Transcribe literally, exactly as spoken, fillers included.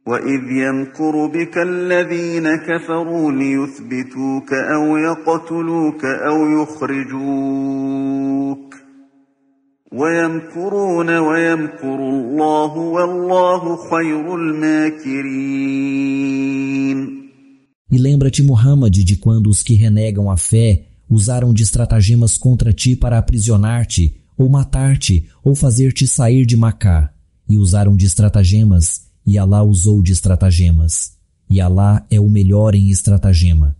وَإِذْ يَمْكُرُ بِكَ الَّذِينَ كَفَرُوا لِيُثْبِتُوكَ أَوْ يَقْتُلُوكَ أَوْ يُخْرِجُوكَ وَيَمْكُرُونَ وَيَمْكُرُ اللَّهُ وَاللَّهُ خَيْرُ الْمَاكِرِينَ. E lembra-te, Muhammad, de quando os que renegam a fé usaram de estratagemas contra ti para aprisionar-te, ou matar-te, ou fazer-te sair de Macá, e usaram de estratagemas, e Alá usou de estratagemas, e Alá é o melhor em estratagema.